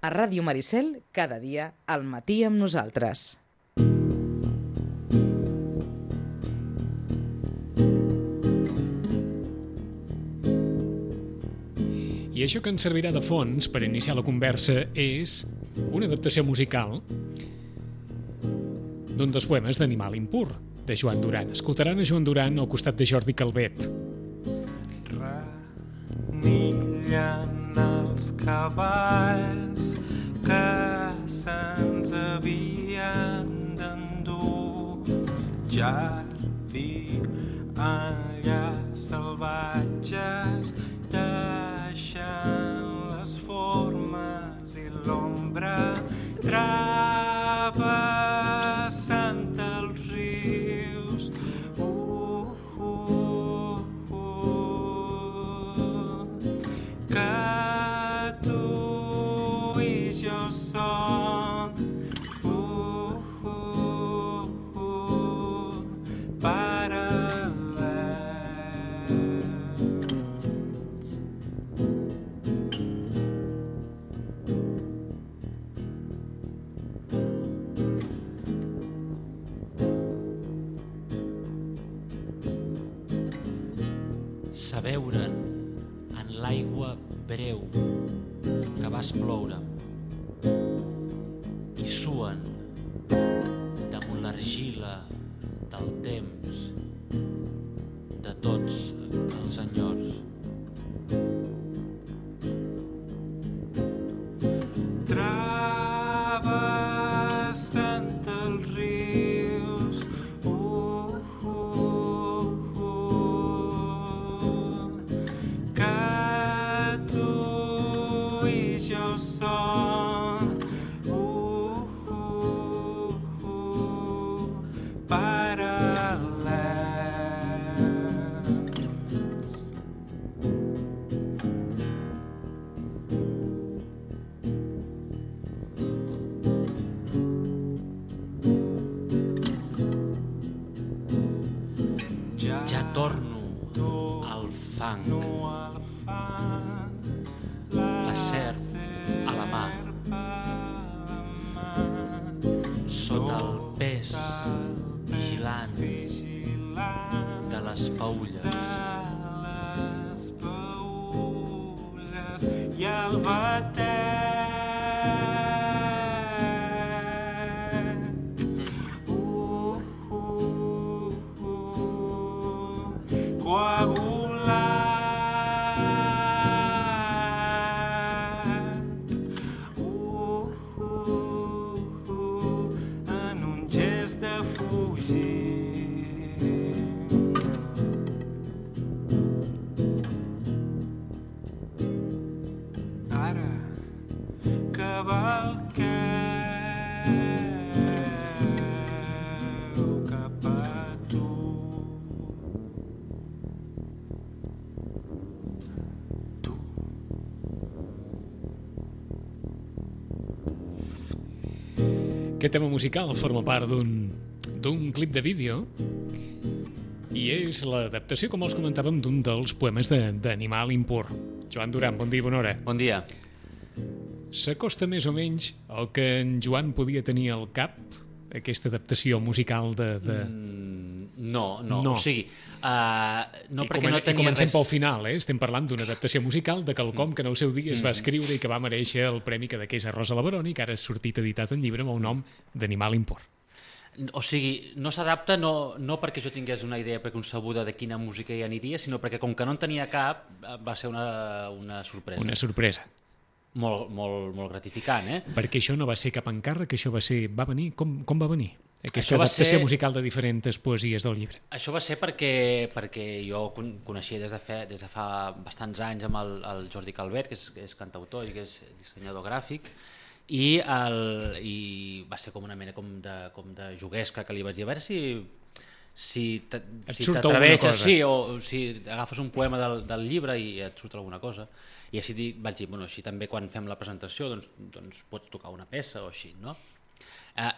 A Ràdio Maricel, cada dia, al matí amb nosaltres. I això que ens servirà de fons per iniciar la conversa és una adaptació musical d'un dels poemes d'Animal impur, de Joan Duran. Escoltaran a Joan Duran al costat de Jordi Calvet. Renillen els cavalls que se'ns havien d'endur, jardí allà salvatges, deixant les formes i l'ombra, travessant els rius, que tu i jo som paral·lels. S'aveuren en l'aigua breu que vas ploure i suen damunt l'argila del temps de tots els enyors. Travessant els rius, que tu i jo som paral·lels. Ja torno al fang, la serp a la mà, sota el pes vigilant de les paulles i el batec coagulat en un gest de fugir. Ara cavalqueu cap a tu. Aquest tema musical forma part d'un clip de vídeo i és l'adaptació, com els comentàvem, d'un dels poemes d'Animal impur. Joan Duran, bon dia, bona hora. Bon dia. S'acosta més o menys al que en Joan podia tenir al cap, aquesta adaptació musical de... No. O sigui, no I perquè no tenia comencem res... pel final, estem parlant d'una adaptació musical de quelcom que en el seu dia es va escriure i que va mereixer el premi que és a Rosa Leveroni, que ara ha sortit editat en llibre amb el nom d'Animal impur. O sigui, no s'adapta no perquè jo tingués una idea preconcebuda de quina música hi aniria, sinó perquè com que no en tenia cap, va ser una sorpresa. Una sorpresa. Molt gratificant, Perquè això no va ser cap encàrrec, això va venir... Com va venir? Aquesta adaptació musical de diferents poesies del llibre. Això va ser perquè jo coneixia des de fa bastants anys amb el Jordi Calvet, que és cantautor i que és dissenyador gràfic, i va ser com una mena com de juguesca que li vaig dir a veure si t'atreveixes, sí, o si agafes un poema del llibre i et surt alguna cosa. I així vaig dir, així també quan fem la presentació doncs pots tocar una peça o així, no?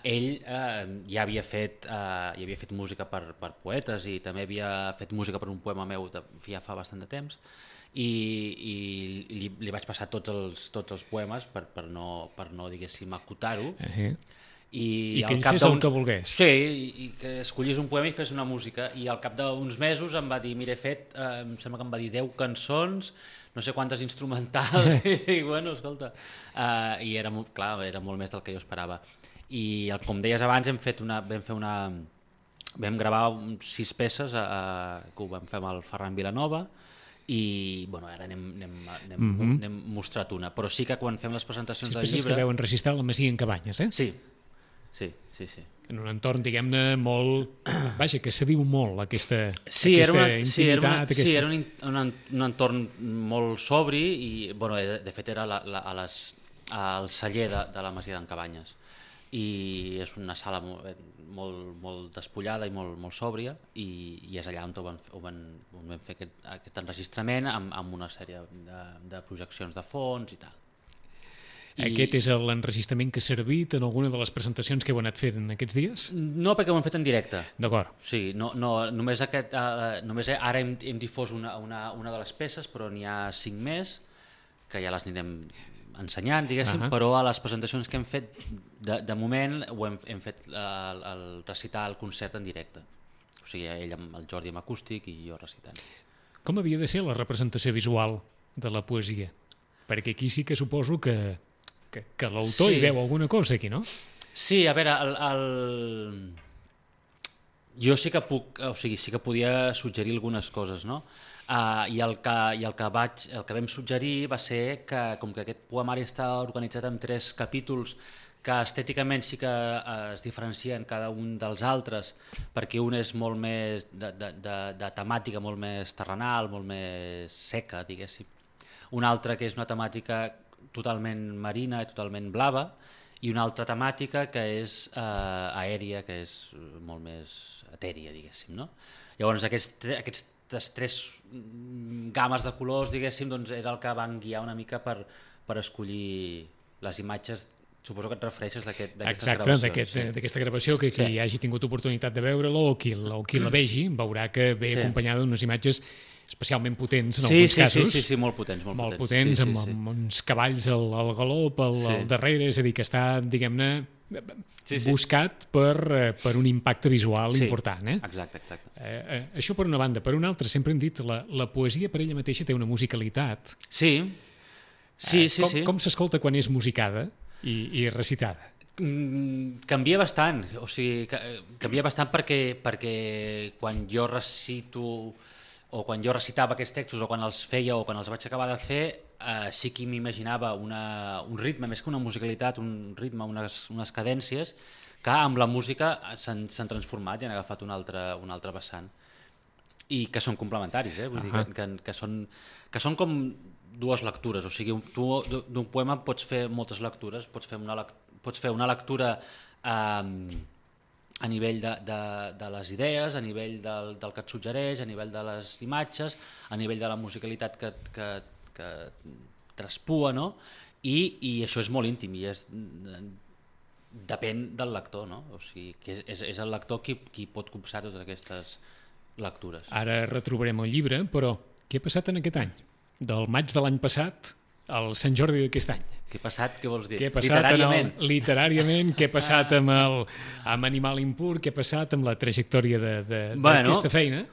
Ell ja havia fet música per poetes i també havia fet música per un poema meu ja fa bastant de temps, i li vaig passar tots els poemes per no diguéssim, acotar-ho. I que ell fes el que volgués. Sí, i que escollís un poema i fes una música. I al cap d'uns mesos em va dir, mira, he fet, em sembla que em va dir 10 cançons, no sé quantes instrumentals, i bueno, escolta, i era molt més del que jo esperava. I com deies abans, vam gravar 6 peces que ho vam fer amb el Ferran Vilanova, i bueno, ara n'hem mostrat una, però sí que quan fem les presentacions del llibre... 6 peces que vau enregistrar a la Masia en Cabanyes, eh? Sí. En un entorn, diguem-ne, molt... Vaja, que se diu molt, aquesta intimitat. Sí, era un entorn molt sobri i, bueno, de fet, era al celler de la Masia d'en Cabanyes. I és una sala molt despullada i molt sòbria, i és allà on vam fer aquest enregistrament amb una sèrie de projeccions de fons i tal. Aquest és l'enregistrament que ha servit en alguna de les presentacions que heu anat fent en aquests dies? No, perquè ho hem fet en directe. D'acord. Sí, només ara hem difós una de les peces, però n'hi ha 5 més, que ja les anirem ensenyant, diguéssim, però a les presentacions que hem fet, de moment, hem fet el recitar el concert en directe. O sigui, ell amb el Jordi amb acústic i jo recitant. Com havia de ser la representació visual de la poesia? Perquè aquí sí que suposo que l'autor hi veu alguna cosa aquí, no? Sí, a veure, jo sí que podia suggerir algunes coses, no? I el que vam suggerir va ser que, com que aquest poemari està organitzat en 3 capítols que estèticament sí que es diferencien cada un dels altres, perquè un és molt més de temàtica, molt més terrenal, molt més seca, diguéssim. Un altre que és una temàtica totalment marina i totalment blava, i una altra temàtica que és aèria, que és molt més etèria, diguéssim, no? Llavors aquestes 3 games de colors, diguéssim, doncs és el que van guiar una mica per escollir les imatges. Suposo que et refereixes d'aquestes gravacions. Exacte, d'aquesta gravació, que qui hagi tingut oportunitat de veure-la o qui la vegi veurà que ve acompanyada d'unes imatges especialment potents en alguns casos. Sí, molt potents. Molt potents, amb uns cavalls al galop, al darrere, és a dir, que està, diguem-ne, buscat per un impacte visual important. Exacte. Això per una banda. Per una altra, sempre hem dit, la poesia per ella mateixa té una musicalitat. Sí. Com s'escolta quan és musicada i recitada? Canvia bastant, o sigui, canvia bastant perquè quan jo recito o quan jo recitava aquests textos o quan els feia o quan els vaig acabar de fer, sí que m'imaginava un ritme, més que una musicalitat, un ritme, unes cadències que amb la música s'han transformat i han agafat un altre vessant i que són complementaris, vull dir que són com 2 lectures, o sigui, tu d'un poema pots fer moltes lectures, pots fer una lectura a nivell de les idees, a nivell del que et suggereix, a nivell de les imatges, a nivell de la musicalitat que traspua, no? I això és molt íntim i depèn del lector, no? O sigui, que és el lector qui pot copsar totes aquestes lectures. Ara retrobarem el llibre, però què ha passat en aquest any? Del maig de l'any passat al Sant Jordi d'aquest any. Què ha passat? Què vols dir? Què ha passat literàriament? Què ha passat amb Animal Impur? Què ha passat amb la trajectòria d'aquesta feina?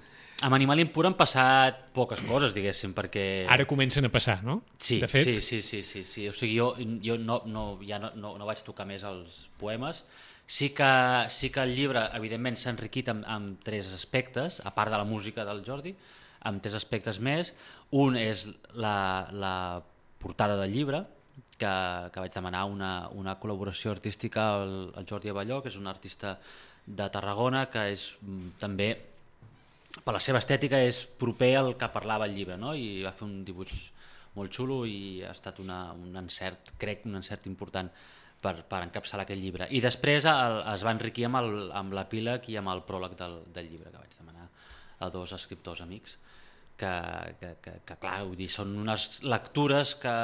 Amb Animal Impur han passat poques coses, diguéssim, perquè... Ara comencen a passar, no? Sí, de fet. Sí. O sigui, jo no vaig tocar més els poemes. Sí que el llibre, evidentment, s'ha enriquit amb 3 aspectes, a part de la música del Jordi, amb 3 aspectes més. Un és la portada del llibre, que vaig demanar una col·laboració artística al Jordi Abelló, que és un artista de Tarragona, que és també, per la seva estètica, és proper al que parlava el llibre, no? I va fer un dibuix molt xulo i ha estat un encert, crec, un encert important per encapçalar aquest llibre. I després es va enriquir amb l'epíleg i amb el pròleg del llibre, que vaig demanar a 2 escriptors amics, que clar, vull dir, són unes lectures que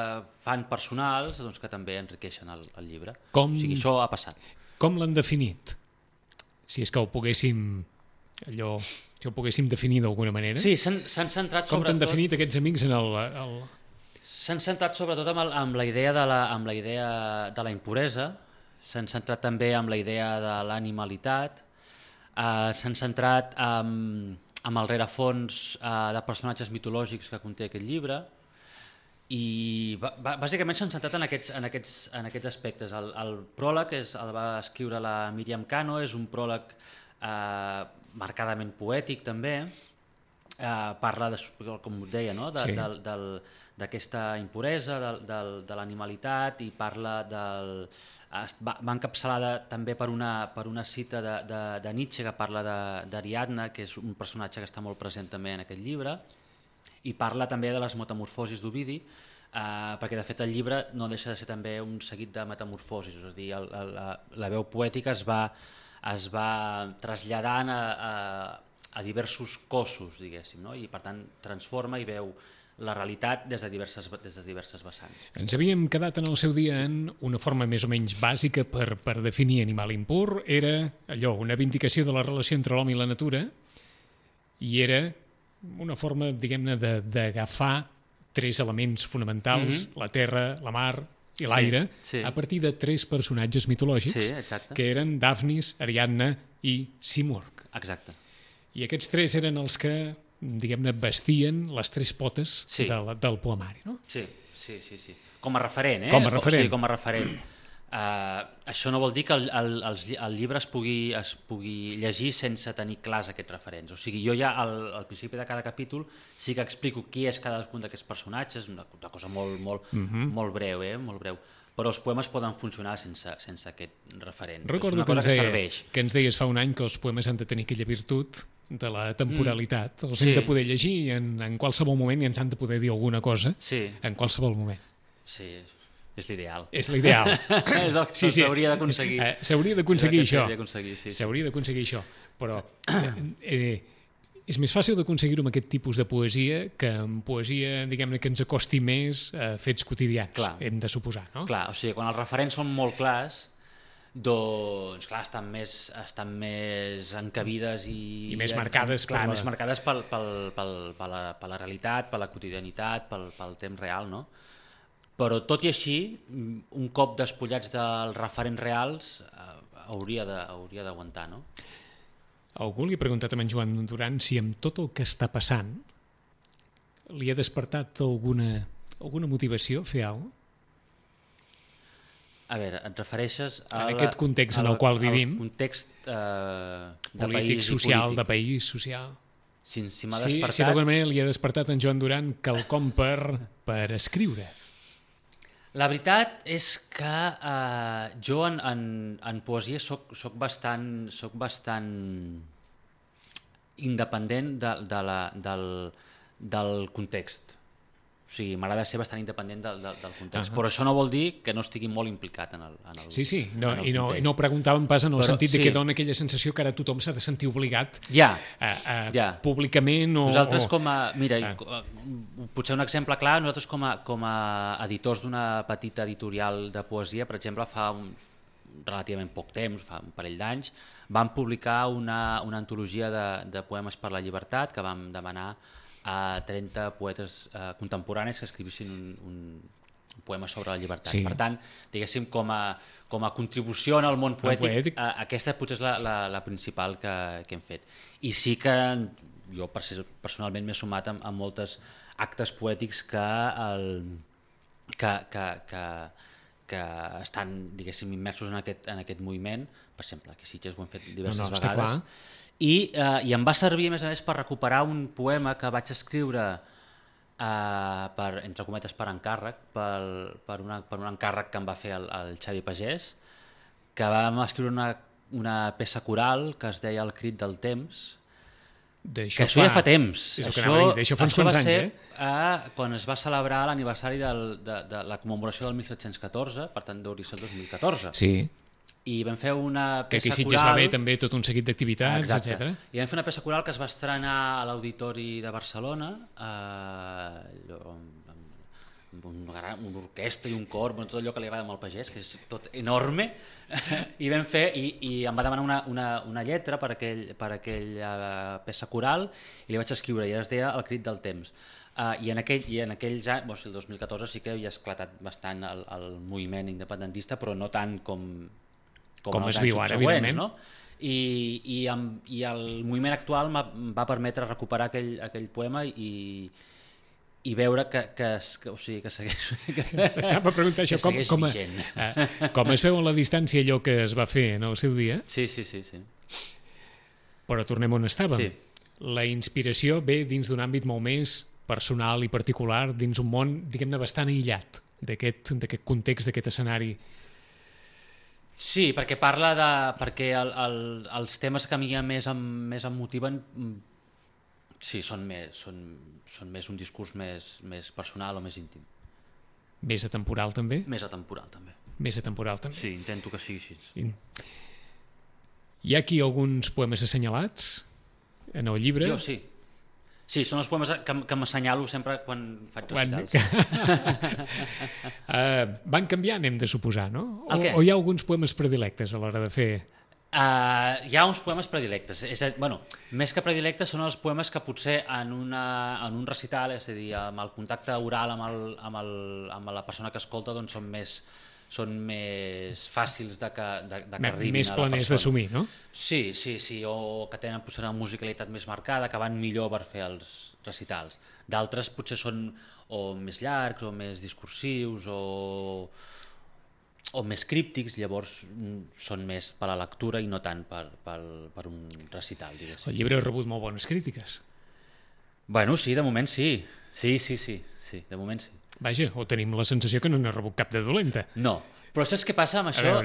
fan personals, doncs, que també enriqueixen el llibre. O sigui, això ha passat. Com l'han definit? Si és que ho poguéssim allò si ho poguéssim definir d'alguna manera. Sí, s'han centrat Com t'han sobretot... definit aquests amics en el... S'han centrat sobretot amb la idea de la impuresa, s'han centrat també amb la idea de l'animalitat, s'han centrat amb el rerefons de personatges mitològics que conté aquest llibre, i bàsicament s'han centrat en aquests aspectes. El pròleg el va escriure la Míriam Cano, és un pròleg marcadament poètic també, parla, com us deia, no? D'aquesta impuresa, de l'animalitat, i parla va encapçalada també per una cita de Nietzsche que parla d'Ariadna, que és un personatge que està molt present també en aquest llibre, i parla també de les metamorfosis d'Ovidi, perquè de fet el llibre no deixa de ser també un seguit de metamorfosis, és a dir, la veu poètica es va traslladant a diversos cossos, diguéssim, no? I per tant transforma i veu la realitat des de diverses vessants. Ens havíem quedat en el seu dia en una forma més o menys bàsica per definir animal impur, era allò, una vindicació de la relació entre l'home i la natura, i era una forma, diguem-ne, d'agafar tres elements fonamentals, la terra, la mar i l'aire, a partir de tres personatges mitològics, que eren Dafnis, Ariadna i Simurg. Exacte. I aquests tres eren els que, diguem-ne, vestien les tres potes del poemari, no? Sí. Com a referent, Com a referent. Sí, com a referent. Això no vol dir que el llibre es pugui llegir sense tenir clars aquests referents. O sigui, jo ja al principi de cada capítol sí que explico qui és cadascun d'aquests personatges, una cosa molt breu, molt breu. Però els poemes poden funcionar sense aquest referent. Recordo que ens deies fa un any que els poemes han de tenir aquella virtut de la temporalitat. Els hem de poder llegir en qualsevol moment i ens han de poder dir alguna cosa en qualsevol moment. Sí, és l'ideal. És l'ideal. S'hauria d'aconseguir. S'hauria d'aconseguir això. Sí. S'hauria d'aconseguir això. Però és més fàcil d'aconseguir-ho amb aquest tipus de poesia que amb poesia, diguem-ne, que ens acosti més a fets quotidians, hem de suposar, no? Clar, o sigui, quan els referents són molt clars, doncs clar, estan més encabides i més marcades més marcades per la realitat, per la quotidianitat, pel temps real, no? Però tot i així, un cop despullats dels referents reals, hauria d'aguantar, no? Algú li ha preguntat a en Joan Duran si amb tot el que està passant li ha despertat alguna motivació a fer alguna cosa? A veure, et refereixes a en aquest context en el qual vivim, context polític, social, de país, social. Si m'ha despertat... Si d'alguna manera li ha despertat a en Joan Duran quelcom per escriure. La veritat és que jo en poesia soc bastant independent del context. O sigui, m'agrada ser bastant independent del context, però això no vol dir que no estigui molt implicat en el Sí, no preguntàvem pas en el sentit de que dona aquella sensació que ara tothom s'ha de sentir obligat públicament o... Nosaltres mira, potser un exemple clar, nosaltres com a editors d'una petita editorial de poesia, per exemple, fa relativament poc temps, fa un parell d'anys, vam publicar una antologia de poemes per la llibertat que vam demanar a 30 poetes contemporanis que escrivissin un poema sobre la llibertat. Per tant, diguéssim, com a contribució en el món poètic, aquesta potser és la principal que hem fet. I sí que jo personalment m'he sumat a moltes actes poètics que estan, diguéssim, immersos en aquest moviment. Per exemple, aquí a Sitges ho hem fet diverses vegades. I em va servir, a més, per recuperar un poema que vaig escriure, entre cometes, per encàrrec, per un encàrrec que em va fer el Xavi Pagès, que vam escriure una peça coral que es deia El crit del temps, que això ja fa temps. Això fa uns quants anys, quan es va celebrar l'aniversari de la commemoració del 1714, per tant deuria ser el 2014. Sí. I vam fer una peça coral... Que aquí es va haver també tot un seguit d'activitats, etc. I vam fer una peça coral que es va estrenar a l'Auditori de Barcelona, una orquestra i un cor, tot allò que li agrada al pagès, que és tot enorme, i vam fer, i em va demanar una lletra per aquella peça coral, i li vaig escriure, i es deia El crit del temps. I en aquells anys, el 2014 sí que havia esclatat bastant el moviment independentista, però no tant com es els viu anys ara, subsegüents, evidentment. no? I el moviment actual em va permetre recuperar aquell poema i veure que segueix Anava a preguntar això, com es veu a la distància allò que es va fer en el seu dia, Sí. però tornem on estàvem. Sí. La inspiració ve dins d'un àmbit molt més personal i particular, dins un món, diguem-ne, bastant aïllat d'aquest context, d'aquest escenari. Sí, perquè perquè els temes que a mi més em motiven sí, són més un discurs més personal o més íntim. Més atemporal, també? Més atemporal, també. Més atemporal, també. Sí, intento que sigui així. Hi ha aquí alguns poemes assenyalats en el llibre? Jo sí. Sí, són els poemes que m'assenyalo sempre quan faig recitals. Van canviant, hem de suposar, no? O hi ha alguns poemes predilectes a l'hora de fer... Hi ha uns poemes predilectes. Més que predilectes són els poemes que potser en un recital, és a dir, amb el contacte oral amb la persona que escolta, doncs són més fàcils de que arribin més a la planers persona. d'assumir, no? Sí, o que tenen potser una musicalitat més marcada, que van millor per fer els recitals. D'altres potser són o més llargs, o més discursius, o més críptics, llavors són més per a la lectura i no tant per un recital, diguéssim. El llibre ha rebut molt bones crítiques. Bueno, sí, de moment sí. Sí, de moment sí. Vaja, o tenim la sensació que no n'ha rebut cap de dolenta. No, però saps què passa amb això?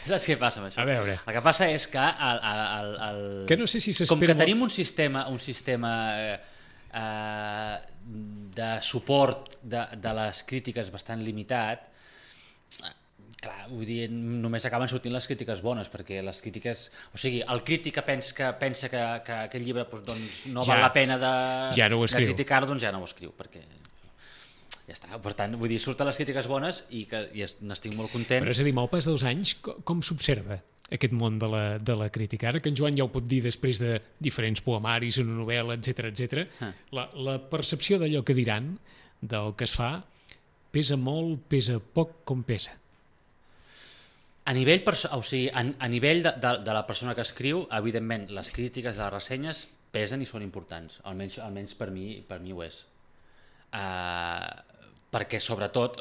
Saps què passa amb això? A veure. El que passa és que que no sé si com que tenim un sistema de suport de les crítiques bastant limitat, clar, vull dir, només acaben sortint les crítiques bones, perquè les crítiques... O sigui, el crític que pensa que aquest llibre doncs, no val la pena de criticar-lo, doncs ja no ho escriu, perquè ja està. Per tant, vull dir, surten les crítiques bones i n'estic molt content. Però és a dir, amb el pas dels anys, com s'observa aquest món de la crítica? Ara que en Joan ja ho pot dir després de diferents poemaris, una novel·la, etc. La percepció d'allò que diran, del que es fa, pesa molt, pesa poc, com pesa? A nivell de la persona que escriu, evidentment, les crítiques de les ressenyes pesen i són importants, almenys per mi ho és. Perquè sobretot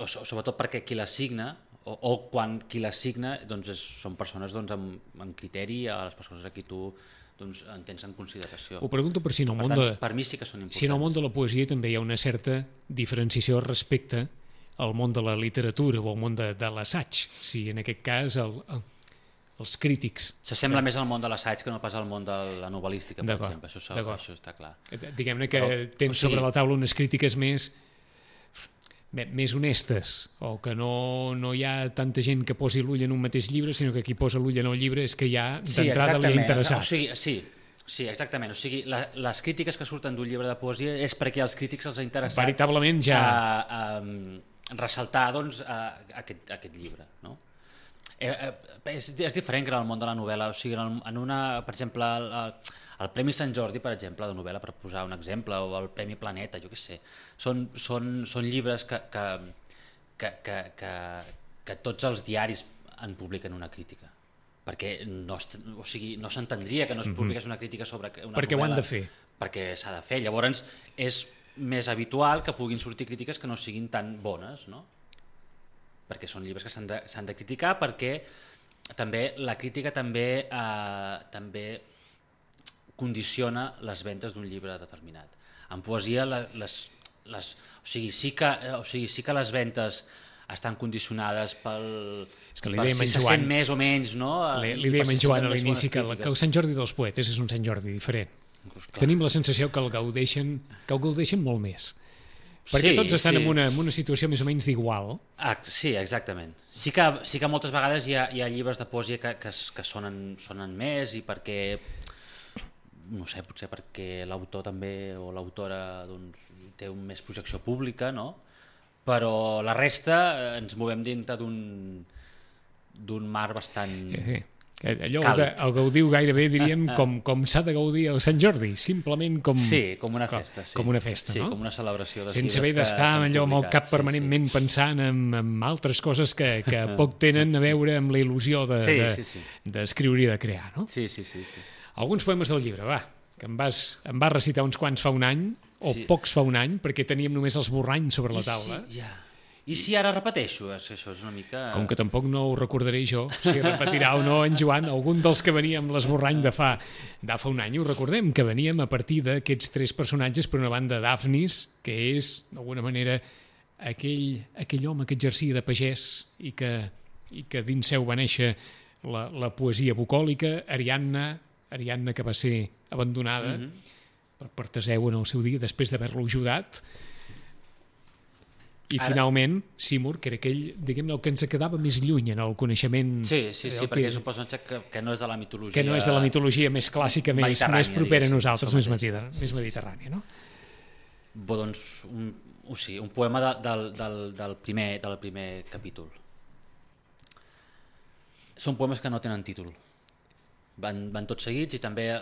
perquè qui les signa, o quan qui les signa, doncs són persones amb criteri, a les persones a qui tu en tens en consideració. Ho pregunto per si en el món per mi sí que són importants. Si en el món de la poesia també hi ha una certa diferenciació respecte al món de la literatura o al món de l'assaig, si en aquest cas els crítics... S'assembla més al món de l'assaig que no pas al món de la novel·lística, per exemple, això està clar. Diguem-ne que tens sobre la taula unes crítiques més honestes, o que no hi ha tanta gent que posi l'ull en un mateix llibre, sinó que qui posa l'ull en el llibre és que ja d'entrada li ha interessat. Sí, exactament. O sigui, les crítiques que surten d'un llibre de poesia és perquè als crítics els ha interessat veritablement ja ressaltar doncs, aquest llibre, no? És diferent que en el món de la novel·la. O sigui, per exemple, el Premi Sant Jordi, per exemple, de novel·la, per posar un exemple, o el Premi Planeta, jo què sé, són llibres que tots els diaris en publiquen una crítica, perquè no s'entendria que no es publiqués una crítica sobre una novel·la. Perquè ho han de fer. Perquè s'ha de fer. Llavors és més habitual que puguin sortir crítiques que no siguin tan bones, no? Perquè són llibres que s'han de criticar, perquè també la crítica també condiciona les ventes d'un llibre determinat. En poesia sí que les ventes estan condicionades pel... És que li dèiem si se sent més o menys, no? Li dèiem en Joan a l'inici que el Sant Jordi dels poetes és un Sant Jordi diferent. Tenim la sensació que el gaudeixen molt més. Perquè tots estan en una situació més o menys d'igual. Sí, exactament. Sí que moltes vegades hi ha llibres de poesia que sonen més, i perquè, no sé, potser perquè l'autor també o l'autora doncs, té més projecció pública, no? però la resta ens movem dintre d'un mar bastant... Allò càlid. el gaudiu gairebé diríem com s'ha de gaudir el Sant Jordi, simplement com... Sí, com una festa. Sí. Com una festa, sí, no? com una celebració. Sense haver d'estar allò amb el cap permanentment pensant en altres coses que poc tenen a veure amb la il·lusió d'escriure i de crear, no? Sí. Alguns poemes del llibre, va, que em vas recitar uns quants fa un any, o pocs fa un any, perquè teníem només els borranys sobre la taula. I si ara repeteixo? Això és una mica... Com que tampoc no ho recordaré jo, si repetirà o no en Joan, algun dels que venia amb l'esborrany de fa un any, ho recordem, que veníem a partir d'aquests 3 personatges, per una banda Daphnis, que és, d'alguna manera, aquell home que exercia de pagès i que dins seu va néixer la poesia bucòlica, Ariadna que va ser abandonada per Teseu en el seu dia, després d'haver-lo ajudat, i finalment Simur, que era aquell, diguem-ne, el que ens quedava més lluny en el coneixement... Sí, perquè és un personatge que no és de la mitologia... Que no és de la mitologia més clàssica, més propera a nosaltres, més mediterrània, no? Doncs, un poema del primer capítol. Són poemes que no tenen títol. Van tots seguits i també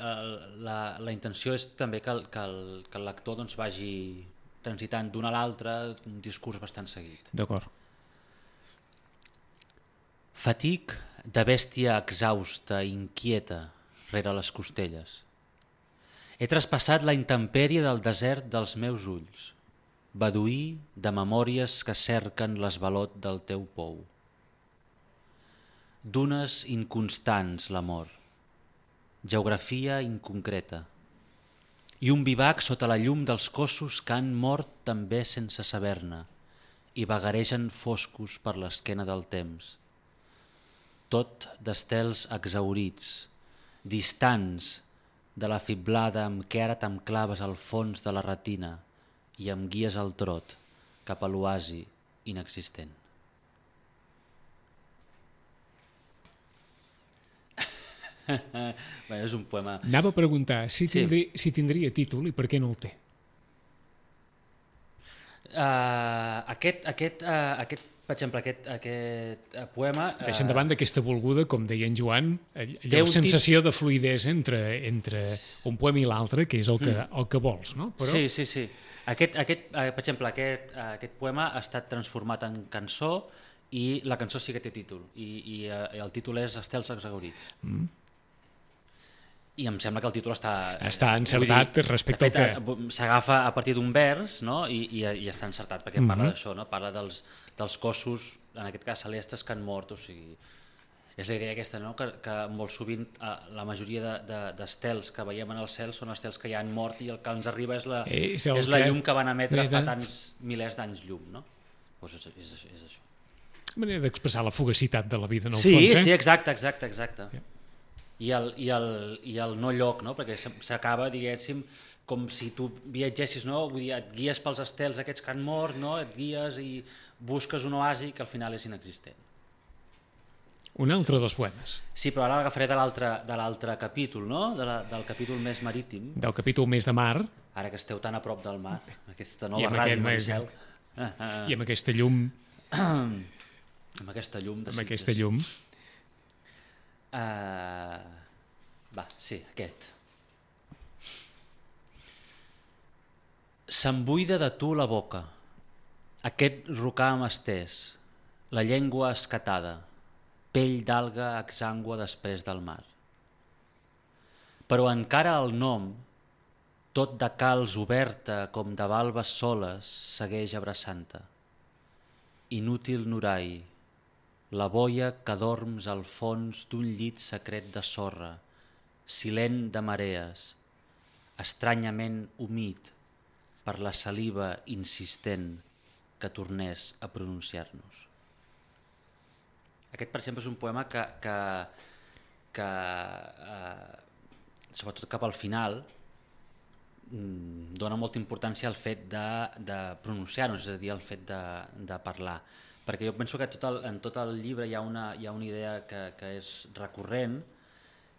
la intenció és també que el lector doncs, vagi transitant d'un a l'altre, un discurs bastant seguit. D'acord. Fatic de bèstia exhausta, inquieta, rere les costelles. He traspassat la intempèrie del desert dels meus ulls, beduí de memòries que cerquen l'esvalot del teu pou. Dunes inconstants l'amor, geografia inconcreta, i un vivac sota la llum dels cossos que han mort també sense saber-ne i vagaregen foscos per l'esquena del temps. Tot d'estels exhaurits, distants de la fiblada amb què ara t'enclaves al fons de la retina i em guies al trot cap a l'oasi inexistent. Bé, és un poema... Anava a preguntar si tindria títol i per què no el té. Per exemple, aquest poema... Deixant de banda aquesta volguda, com deia en Joan, allò sensació de fluïdesa entre un poema i l'altre, que és el que vols, no? Però... Sí. Per exemple, aquest poema ha estat transformat en cançó i la cançó sí que té títol. I el títol és Estels exhaurits. I em sembla que el títol està encertat respecte al que... S'agafa a partir d'un vers, no? I està encertat perquè parla d'això, no? Parla dels cossos, en aquest cas celestes, que han mort. O sigui, és la idea aquesta, no? Que molt sovint la majoria d'estels que veiem en el cel són estels que ja han mort i el que ens arriba és la llum que van emetre fa tants milers d'anys llum, no? Doncs és això. Manera d'expressar la fugacitat de la vida, en el fons, eh? Sí, exacte. Yeah. I el no lloc, no? Perquè s'acaba, diguéssim, com si tu viatgessis, no? Vull dir, et guies pels estels aquests que han mort, no? Et guies i busques un oasi que al final és inexistent. Un altre dels poemes. Sí, però ara l'agafaré de l'altre capítol, no? Del capítol més marítim. Del capítol més de mar. Ara que esteu tan a prop del mar, aquesta nova ràdio del cel. I amb aquesta llum. Amb aquesta llum. Amb aquesta llum. Aquest. Se'm buida de tu la boca, aquest rocam estès, la llengua escatada, pell d'alga exangua després del mar. Però encara el nom, tot de calç oberta com de valves soles, segueix abraçant-te. Inútil Nurai, la boia que dorms al fons d'un llit secret de sorra, silent de marees, estranyament humit per la saliva insistent que tornés a pronunciar-nos. Aquest, per exemple, és un poema que sobretot cap al final, dona molta importància al fet de pronunciar-nos, és a dir, al fet de parlar. Perquè jo penso que en tot el llibre hi ha una idea que és recurrent,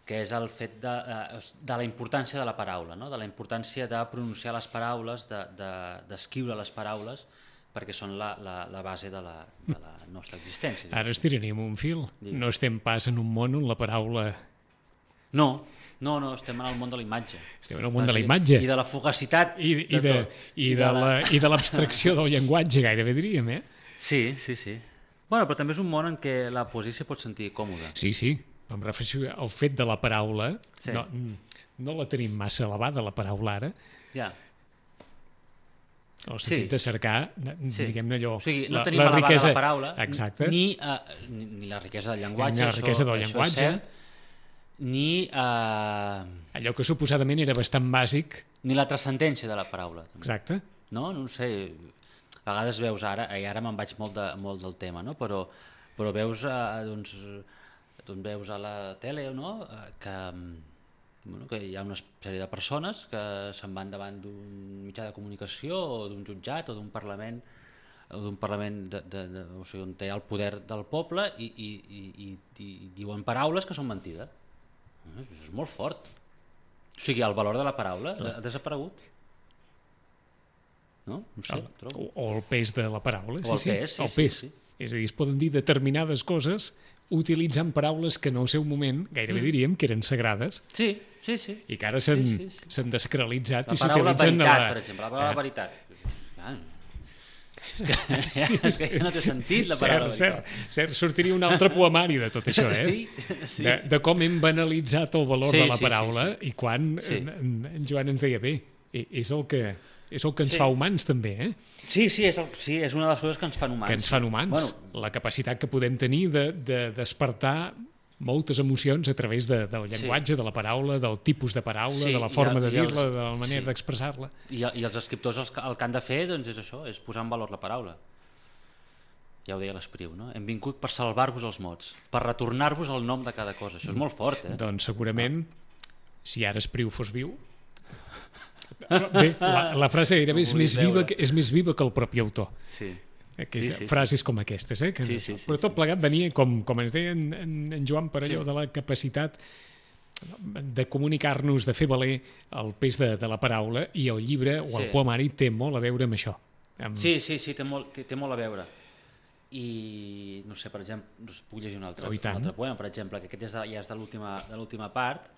que és el fet de la importància de la paraula, no? De la importància de pronunciar les paraules, d'escriure les paraules, perquè són la base de la nostra existència. Ara estiraríem un fil. No estem pas en un món on la paraula... No, estem en el món de la imatge. Estem en el món de la imatge. I de la fugacitat. I de l'abstracció del llenguatge, gairebé diríem, eh? Sí. Bueno, però també és un món en què la poesia s'hi pot sentir còmoda. Sí. Em refereixo al fet de la paraula. Sí. No la tenim massa elevada, la paraula, ara. Ja. En el sentit de cercar, diguem-ne allò... O sigui, no tenim la elevada riquesa, la paraula, exacte, ni la riquesa del llenguatge, ni la riquesa del llenguatge, ni... allò que suposadament era bastant bàsic. Ni la transcendència de la paraula. També. Exacte. No ho sé, a vegades veus ara, i ara me'n vaig molt del tema, no? Però veus, veus a la tele, no? Que hi ha una sèrie de persones que se'n van davant d'un mitjà de comunicació o d'un jutjat o d'un parlament o sigui, on té el poder del poble i diuen paraules que són mentides. Això és molt fort. O sigui, el valor de la paraula ha desaparegut. No sé, trobo. O el pes de la paraula. O el pes, el pes. Sí. És a dir, es poden dir determinades coses utilitzant paraules que en el seu moment gairebé diríem que eren sagrades. Sí. I que ara s'han desacralitzat i s'utilitzen... La paraula veritat, per exemple, la paraula veritat. És que no té sentit la paraula veritat. Cert, sortiria un altre poemari de tot això, Sí. De com hem banalitzat el valor de la paraula i quan en Joan ens deia, bé, és el que ens fa humans també, eh? Sí, és una de les coses que ens fan humans. Que ens fan humans. Bueno, la capacitat que podem tenir de despertar moltes emocions a través del llenguatge, de la paraula, del tipus de paraula, de la forma de dir-la, de la manera d'expressar-la. I els escriptors el que han de fer doncs, és això, és posar en valor la paraula. Ja ho deia l'Espriu, no? Hem vingut per salvar-vos els mots, per retornar-vos el nom de cada cosa. Això és molt fort, eh? Doncs segurament, si ara Espriu fos viu... Bé, la frase gairebé és més viva que el propi autor. Sí. Frases com aquestes, eh? Però tot plegat venia, com ens deia en Joan, per allò de la capacitat de comunicar-nos, de fer valer el pes de la paraula, i el llibre o el poemari té molt a veure amb això. Sí, té molt a veure. I, no sé, per exemple, us puc llegir un altre poema, per exemple, que aquest ja és de l'última part,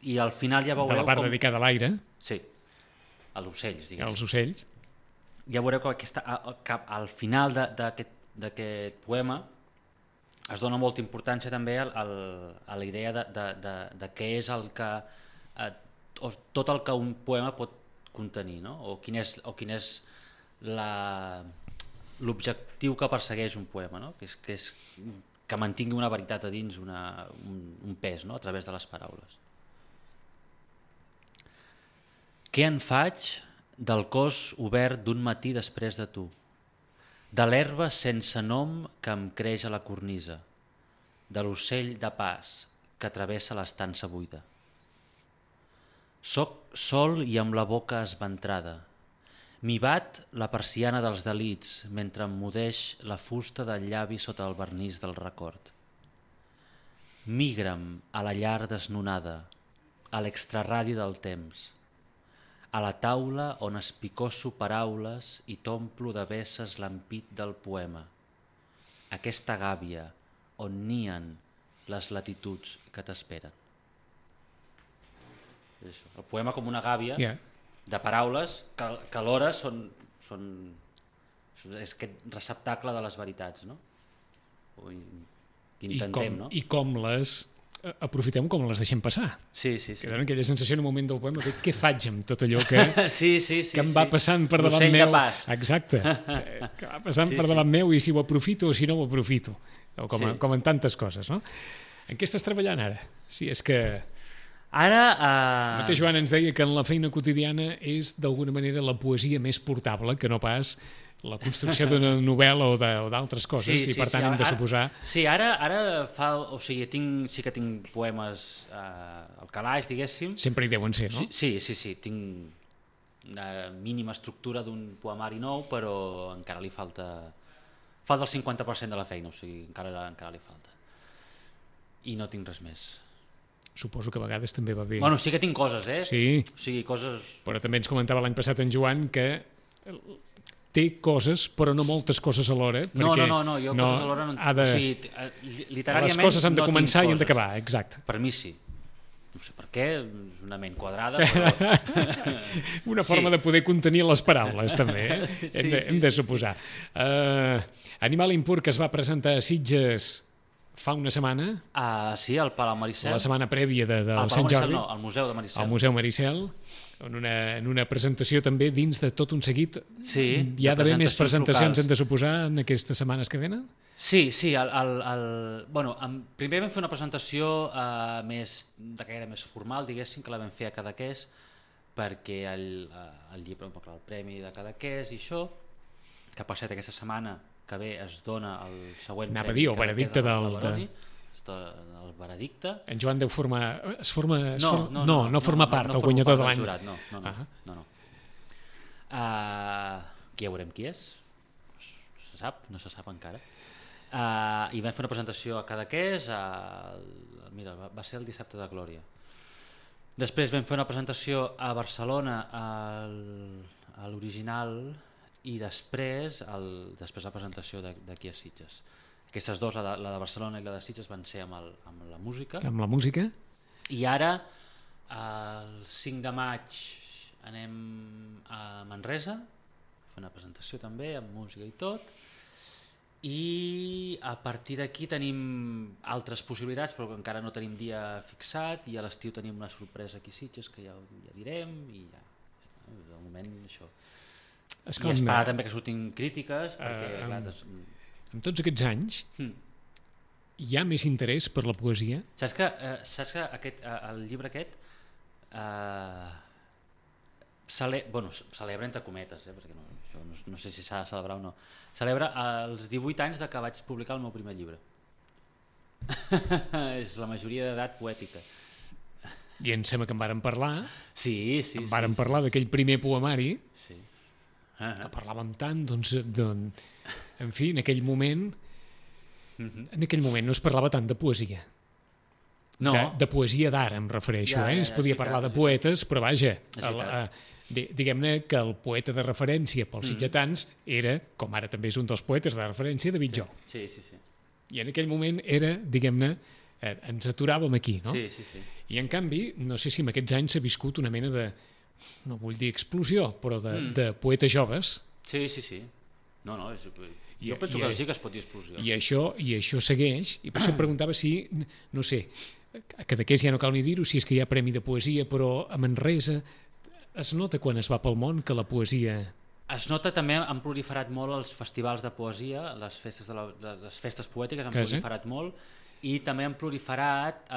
i al final ja veureu... De la part dedicada a l'aire. Sí, a l'ocells, diguéssim. Als ocells. Ja veureu que al final d'aquest poema es dona molta importància també a la idea de què és el que tot el que un poema pot contenir, no? O quin és l'objectiu que persegueix un poema, no? Que és que mantingui una veritat a dins, un pes, no? A través de les paraules. Què en faig del cos obert d'un matí després de tu, de l'herba sense nom que em creix a la cornisa, de l'ocell de pas que travessa l'estança buida. Soc sol i amb la boca esventrada. M'hi bat la persiana dels delits mentre em mudeix la fusta del llavi sota el vernís del record. Migra'm a la llar desnonada, a l'extraradi del temps, a la taula on espicosso paraules i t'omplo de vesses l'ampit del poema, aquesta gàbia on nien les latituds que t'esperen. El poema com una gàbia de paraules que alhora és aquest receptacle de les veritats, no? Intentem, no? I com les aprofitem, com les deixem passar. Sí. Que donen aquella sensació en un moment del poema de què faig amb tot allò que em va passant per davant meu. L'ocell de pas. Exacte. Que va passant per davant meu i si ho aprofito o si no ho aprofito. Com en tantes coses, no? En què estàs treballant ara? Si és que... Ara... El mateix Joan ens deia que en la feina quotidiana és d'alguna manera la poesia més portable que no pas la construcció d'una novel·la o d'altres coses, i per tant hem de suposar... Sí, ara o sigui, sí que tinc poemes al calaix, diguéssim. Sempre hi deuen ser, no? Sí, tinc una mínima estructura d'un poemari nou, però encara li falta el 50% de la feina, o sigui, encara li falta. I no tinc res més. Suposo que a vegades també va bé. Bueno, sí que tinc coses, eh? Sí. O sigui, coses... Però també ens comentava l'any passat en Joan que té coses, però no moltes coses alhora. No, perquè jo coses alhora no... ha de... O sigui, literàriament les coses han de no començar tinc i han coses. d'acabar, exacte. Per mi sí. No sé per què, és una ment quadrada, però... Una forma de poder contenir les paraules, també, hem de suposar. Animal Impur, que es va presentar a Sitges fa una setmana, Sí, al Palau Maricel. la setmana prèvia del Sant Maricel, Jordi, no, al Museu de Maricel. al Museu Maricel, en una presentació també dins de tot un seguit. Sí, Hi ha d'haver més presentacions, locals. hem de suposar, en aquestes setmanes que venen? Sí, primer vam fer una presentació més de caire més formal, diguéssim, que la vam fer a Cadaqués, perquè el llibre, el premi de Cadaqués i això, que per cert aquesta setmana que ve es dona el següent Anava a premi dir, el veredicte el veredicte. En Joan deu formar... No forma part, el guanyador de l'any. No. Qui ja veurem qui és? No se sap encara. I vam fer una presentació a Cadaqués, mira, va ser el dissabte de Glòria. Després vam fer una presentació a Barcelona a l'Original i després la presentació d'aquí a Sitges. Aquestes dues, la de Barcelona i la de Sitges, van ser amb la música. Amb la música. I ara, el 5 de maig, anem a Manresa, a fer una presentació també, amb música i tot, i a partir d'aquí tenim altres possibilitats, però encara no tenim dia fixat, i a l'estiu tenim una sorpresa aquí a Sitges, que ja direm, i ja, de moment això. I esperar també que surtin crítiques, perquè... En tots aquests anys hi ha més interès per la poesia? Saps que el llibre aquest celebra entre cometes, perquè no sé si s'ha de celebrar o no, celebra els 18 anys de que vaig publicar el meu primer llibre. És la majoria d'edat poètica. I em sembla que en vàrem parlar. Sí. Vàrem parlar d'aquell primer poemari, sí. Que parlàvem tant, doncs, en fi, en aquell moment no es parlava tant de poesia. No. De poesia d'ara em refereixo, es podia parlar de poetes, però vaja, diguem-ne que el poeta de referència pels sitgetans era, com ara també és un dels poetes de referència, David Jo. Sí. I en aquell moment era, diguem-ne, ens aturàvem aquí, no? Sí. I en canvi, no sé si en aquests anys s'ha viscut una mena de, no vull dir explosió, però de poetes joves. Sí. No, jo penso que sí que es pot dir explosió. I això segueix, i per això em preguntava si, no sé, a Cadaqués ja no cal ni dir-ho, si és que hi ha premi de poesia, però a Manresa es nota quan es va pel món que la poesia... Es nota també, han proliferat molt els festivals de poesia, les festes poètiques han proliferat molt, i també han proliferat...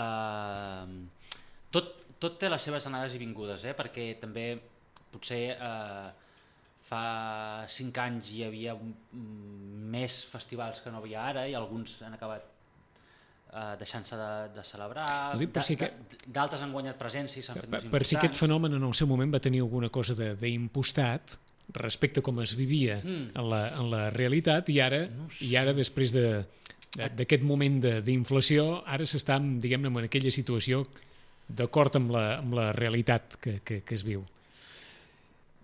Tot té les seves anades i vingudes, perquè també potser fa 5 anys hi havia més festivals que no havia ara i alguns han acabat deixant-se de celebrar, d'altres han guanyat presència i s'han fet més importants. Per si aquest fenomen en el seu moment va tenir alguna cosa d'impostat respecte a com es vivia en la realitat i ara després d'aquest moment d'inflació, ara s'està, diguem-ne, en aquella situació d'acord amb la realitat que es viu.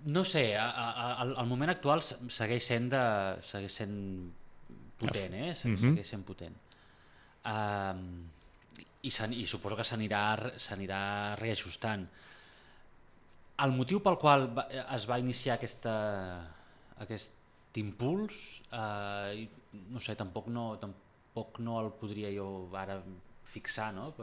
No sé, el moment actual segueix sent potent, segueix sent potent. I suposo que s'anirà reajustant. El motiu pel qual es va iniciar aquest impuls, no sé, tampoc no el podria jo ara fixar, no?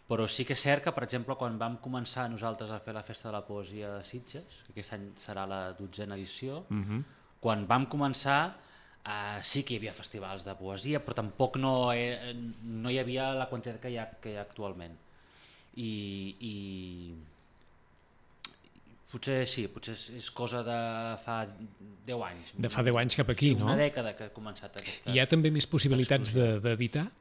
Però sí que és cert que, per exemple, quan vam començar nosaltres a fer la Festa de la Poesia de Sitges, que aquest any serà la 12a edició, quan vam començar sí que hi havia festivals de poesia, però tampoc no hi havia la quantitat que hi ha actualment. I potser és cosa de fa 10 anys. De fa 10 anys cap aquí, no? Una dècada que ha començat aquesta... Hi ha també més possibilitats d'editar?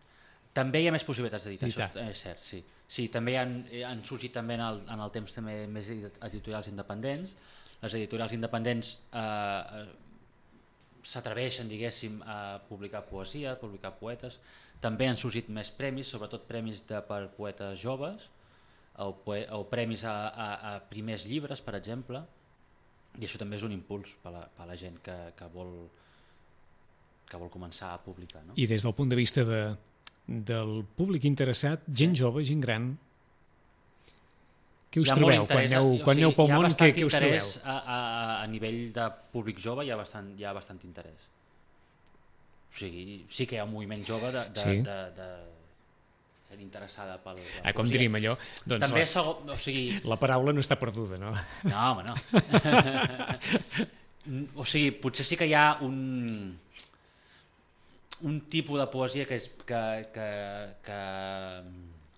També hi ha més possibilitats d'editar, això és cert, sí. Sí, també han sorgit també en el temps també més editorials independents. Les editorials independents s'atreveixen, diguéssim, a publicar poesia, a publicar poetes. També han sorgit més premis, sobretot premis per poetes joves, o premis a primers llibres, per exemple. I això també és un impuls per a la gent que vol començar a publicar. No? I des del punt de vista del públic interessat, gent jove, gent gran, què us trobeu? Quan aneu pel món, què us trobeu? A nivell de públic jove hi ha bastant interès. O sigui, sí que hi ha un moviment jove de ser interessada per la poesia. Com diríem allò? Doncs també o sigui... La paraula no està perduda, no? No, home, no. O sigui, potser sí que hi ha un tipus de poesia que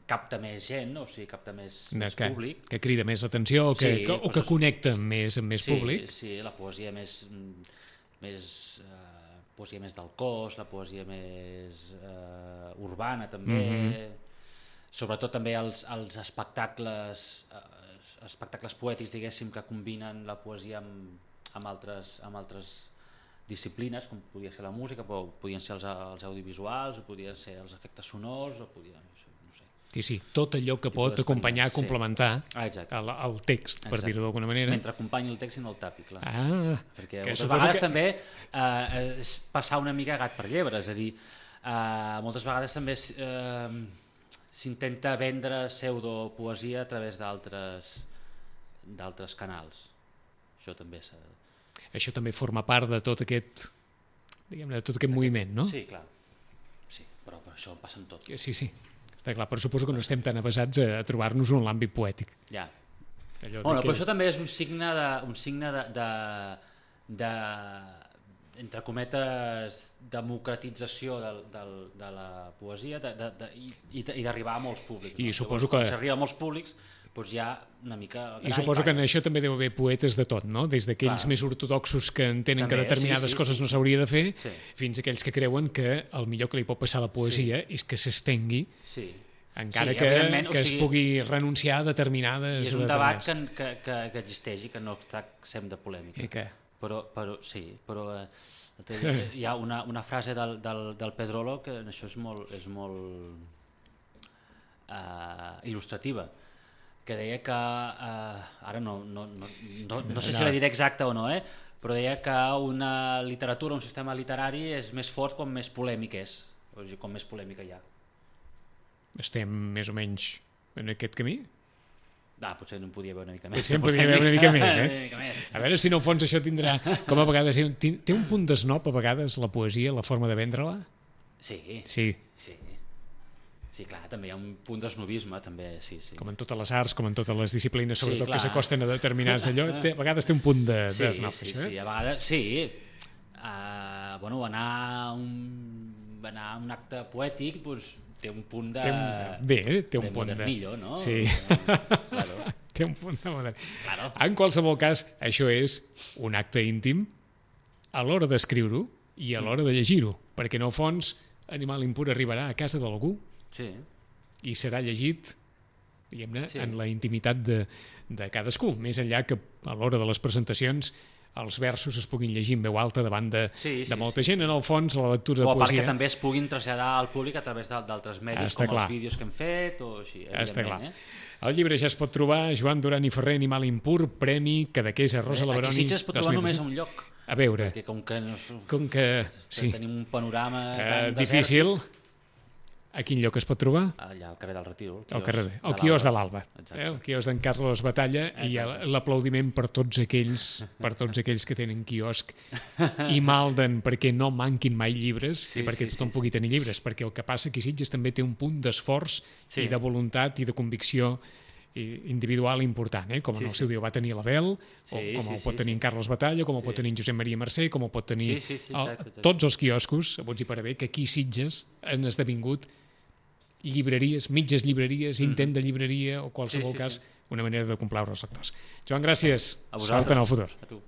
capta més gent, o sigui, capta més públic. Que crida més l'atenció o que connecta més amb més públic. Sí, la poesia més poesia més del cos, la poesia més urbana també, sobretot també els espectacles poètics, diguéssim, que combinen la poesia amb altres disciplines, com podia ser la música, però podien ser els audiovisuals, o podien ser els efectes sonors, o podien... no sé. Sí, tot allò que pot acompanyar, complementar el text, per dir-ho d'alguna manera. Mentre acompanyi el text i no el tapi, clar. Perquè moltes vegades també és passar una mica gat per llebre, és a dir, moltes vegades també s'intenta vendre pseudopoesia a través d'altres canals. Això també forma part de tot aquest moviment, no? Sí, clar. Sí, però això passa en tot. Sí, està clar, però suposo que no estem tan avesats a trobar-nos en l'àmbit poètic. Ja. Però això també és un signe de entre cometes, democratització de la poesia i d'arribar a molts públics. I suposo que... Si arriba a molts públics, doncs hi ha una mica... I suposo que en això també deu haver poetes de tot, no? Des d'aquells més ortodoxos que entenen que determinades coses no s'hauria de fer, fins a aquells que creuen que el millor que li pot passar a la poesia és que s'estengui, encara que es pugui renunciar a determinades... I és un debat que existeix i que no està exempt de polèmica. I què? Però hi ha una frase del Pedrolo que en això és molt il·lustrativa, que deia que, ara no sé si la diré exacta o no, però deia que una literatura, un sistema literari és més fort quan més polèmic és, o sigui, quan més polèmica hi ha. Estem més o menys en aquest camí? Potser no en podia haver una mica més. Potser en podia haver una mica més, A veure si en el fons això tindrà, com a vegades, té un punt d'esnop a vegades la poesia, la forma de vendre-la? Sí, clar, també hi ha un punt d'esnobisme, també, sí. Com en totes les arts, com en totes les disciplines, sobretot que s'acosten a determinats d'allò, a vegades té un punt d'esnop. Sí, a vegades, sí. Anar a un acte poètic, doncs, té un punt de... Té un punt de modernillo, no? Sí. Té un punt de modern. En qualsevol cas, això és un acte íntim a l'hora d'escriure-ho i a l'hora de llegir-ho, perquè en el fons Animal Impur arribarà a casa d'algú i serà llegit, diguem-ne, en la intimitat de cadascú, més enllà que a l'hora de les presentacions els versos es puguin llegir en veu alta davant de molta gent, en el fons la lectura de poesia... O a part que també es puguin traslladar al públic a través d'altres medis, com els vídeos que hem fet, o així, evidentment. El llibre ja es pot trobar, Joan Duran i Ferrer, Animal Impur, Premi Cadaqués a Rosa Leveroni... Aquí Sitges es pot trobar només a un lloc. A veure... Perquè com que tenim un panorama tan difícil... A quin lloc es pot trobar? Allà, al carrer del Retiro. El quios de l'Alba. El quios d'en Carlos Batalla i l'aplaudiment per tots aquells que tenen quiosc i malden perquè no manquin mai llibres i perquè tothom pugui tenir llibres, perquè el que passa aquí a Sitges també té un punt d'esforç i de voluntat i de convicció individual important, com en el seu dia va tenir l'Abel, com el pot tenir en Carlos Batalla, com el pot tenir en Josep Maria Mercè, com el pot tenir tots els quioscos, a bots i per haver, que aquí a Sitges han esdevingut llibreries, mitges llibreries, intent de llibreria o qualsevol cas, una manera de complaure els lectors. Joan, gràcies. A vosaltres. Sort en el futur. A tu.